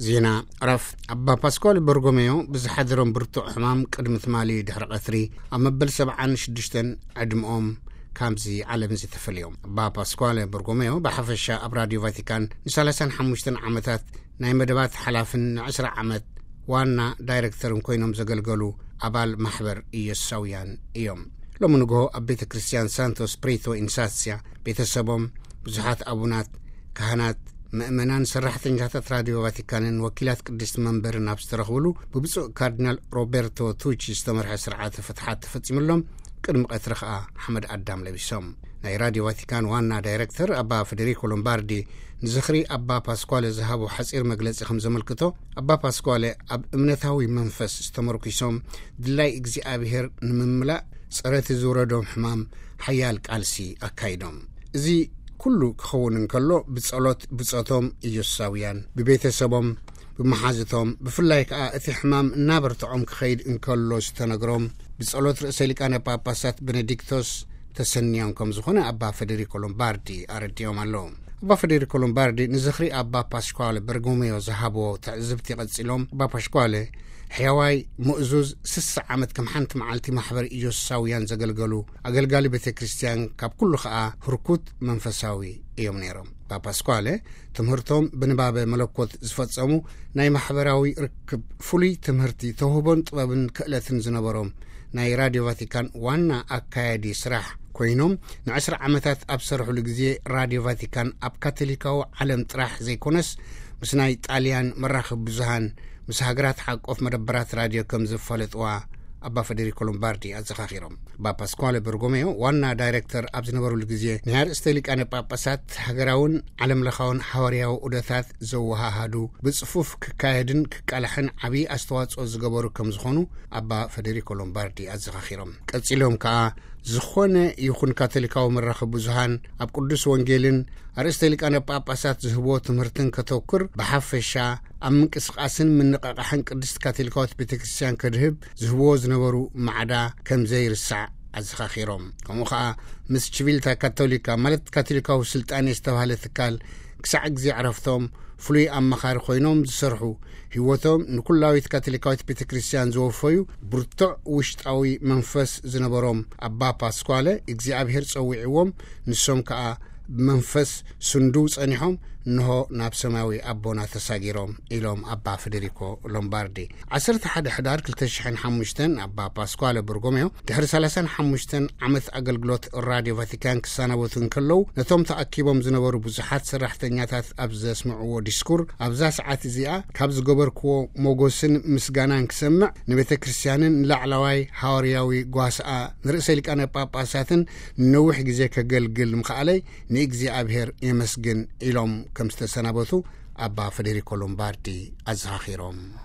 ዜና ዕረፍ። ኣባ ፓስኳል በርጎሜዮ ብዝሓደሮም ብርቱዕ ሕማም ቅድሚ ትማሊ ድሕሪ ቀትሪ ኣብ መበል ሰብዓን ሽዱሽተን ዕድመኦም ካብዚ ዓለም እዚ ተፈልዮም። ኣባ ፓስኳል በርጎሜዮ ብሓፈሻ ኣብ ራድዮ ቫቲካን ንሰላሳን ሓሙሽተን ዓመታት ናይ መደባት ሓላፍን ንዕስራ ዓመት ዋና ዳይረክተርን ኮይኖም ዘገልገሉ ኣባል ማሕበር ኢየሱሳውያን እዮም። ሎሚ ንግሆ ኣብ ቤተ ክርስቲያን ሳንቶ ስፕሪቶ ኢንሳስያ ቤተሰቦም፣ ብዙሓት ኣቡናት፣ ካህናት፣ ምእመናን፣ ሰራሕተኛታት ራድዮ ቫቲካንን ወኪላት ቅድስቲ መንበርን ኣብ ዝተረኽብሉ ብብፁዕ ካርዲናል ሮቤርቶ ቱቺ ዝተመርሐ ስርዓተ ፍትሓት ተፈጺሙሎም። ቅድሚ ቀትሪ ከኣ ሓመድ ኣዳም ለቢሶም። ናይ ራድዮ ቫቲካን ዋና ዳይረክተር ኣባ ፈደሪኮ ሎምባርዲ ንዝኽሪ ኣባ ፓስኳለ ዝሃቦ ሓጺር መግለጺ ከም ዘመልክቶ፣ ኣባ ፓስኳለ ኣብ እምነታዊ መንፈስ ዝተመርኪሶም ድላይ እግዚኣብሔር ንምምላእ ጸረቲ ዝውረዶም ሕማም ሓያል ቃልሲ ኣካይዶም። እዚ ኩሉ ክኸውን እንከሎ ብጸሎት ብጾቶም ኢየሱሳውያን፣ ብቤተሰቦም፣ ብመሓዝቶም፣ ብፍላይ ከኣ እቲ ሕማም እናበርትዖም ክኸይድ እንከሎ ዝተነግሮም ብጸሎት ርእሰ ሊቃነ ጳጳሳት ቤኔዲክቶስ ተሰንዮም ከም ዝኾነ ኣባ ፈደሪኮ ሎምባርዲ ኣረዲኦም ኣለዉ። ኣባ ፈደሪኮ ሎምባርዲ ንዝኽሪ ኣባ ፓስኳለ በርጎሜዮ ዝሃብዎ ትዕዝብቲ ቀጺሎም፣ ኣባ ፓስኳለ ሕያዋይ ምእዙዝ ስሳ ዓመት ከም ሓንቲ መዓልቲ ማሕበር ኢየሱሳውያን ዘገልገሉ ኣገልጋሊ ቤተ ክርስቲያን፣ ካብ ኩሉ ኸኣ ህርኩት መንፈሳዊ እዮም ነይሮም። ኣባ ፓስኳለ ትምህርቶም ብንባበ መለኮት ዝፈጸሙ፣ ናይ ማሕበራዊ ርክብ ፍሉይ ትምህርቲ፣ ተውህቦን ጥበብን ክእለትን ዝነበሮም፣ ናይ ራድዮ ቫቲካን ዋና ኣካያዲ ስራሕ ኮይኖም ንዕስራ ዓመታት ኣብ ዝሰርሕሉ ግዜ ራድዮ ቫቲካን ኣብ ካቶሊካዊ ዓለም ጥራሕ ዘይኮነስ ምስ ናይ ጣልያን መራኽብ ብዙሃን፣ ምስ ሃገራት ሓቆፍ መደበራት ራድዮ ከም ዝፋለጥዋ ኣባ ፈደሪኮ ሎምባርዲ ኣዘኻኺሮም። ኣባ ፓስኳለ በርጎሜዮ ዋና ዳይረክተር ኣብ ዝነበሩሉ ግዜ፣ ናይ ኣርእስተ ሊቃነ ጳጳሳት ሃገራውን ዓለምለኻውን ሓዋርያዊ ዑደታት ዘወሃሃዱ፣ ብጽፉፍ ክካየድን ክቃላሕን ዓብዪ ኣስተዋጽኦ ዝገበሩ ከም ዝኾኑ ኣባ ፈደሪኮ ሎምባርዲ ኣዘኻኺሮም። ቀጺሎም ከኣ፣ ዝኾነ ይኹን ካቶሊካዊ መራኸቢ ብዙሃን ኣብ ቅዱስ ወንጌልን ኣርእስተ ሊቃነ ጳጳሳት ዝህብዎ ትምህርትን ከተኩር፣ ብሓፈሻ ኣብ ምንቅስቃስን ምንቕቓሕን ቅድስት ካቶሊካዊት ቤተ ክርስቲያን ከድህብ ዝህብዎ ዝነበሩ ማዕዳ ከም ዘይርሳዕ ኣዘኻኺሮም። ከምኡ ኸኣ ምስ ቺቪልታ ካቶሊካ፣ ማለት ካቶሊካዊ ስልጣኔ ዝተባህለ ትካል፣ ክሳዕ ግዜ ዕረፍቶም ፍሉይ ኣማኻሪ ኮይኖም ዝሰርሑ፣ ህይወቶም ንኩላዊት ካቶሊካዊት ቤተ ክርስቲያን ዘወፈዩ፣ ብርቱዕ ውሽጣዊ መንፈስ ዝነበሮም ኣባ ፓስኳለ እግዚኣብሔር ጸዊዕዎም፣ ንሶም ከኣ ብመንፈስ ስንዱው ጸኒሖም፣ እንሆ ናብ ሰማያዊ ኣቦና ተሳጊሮም፣ ኢሎም ኣባ ፈደሪኮ ሎምባርዲ። ዓሰርተ ሓደ ሕዳር ክልተ ሽሕን ሓሙሽተን ኣባ ፓስኳለ በርጎሜዮ ድሕሪ ሰላሳን ሓሙሽተን ዓመት ኣገልግሎት ራድዮ ቫቲካን ክሰናበቱ እንከለዉ፣ ነቶም ተኣኪቦም ዝነበሩ ብዙሓት ሰራሕተኛታት ኣብ ዘስምዕዎ ዲስኩር፣ ኣብዛ ሰዓት እዚኣ ካብ ዝገበርክዎ ሞጎስን ምስጋናን ክሰምዕ፣ ንቤተ ክርስቲያንን ንላዕለዋይ ሃዋርያዊ ጓስኣ ንርእሰ ሊቃነ ጳጳሳትን ንነዊሕ ግዜ ከገልግል ምኽኣለይ ንእግዚኣብሔር የመስግን፣ ኢሎም ከም ዝተሰናበቱ ኣባ ፈደሪኮ ሎምባርዲ ኣዘኻኺሮም።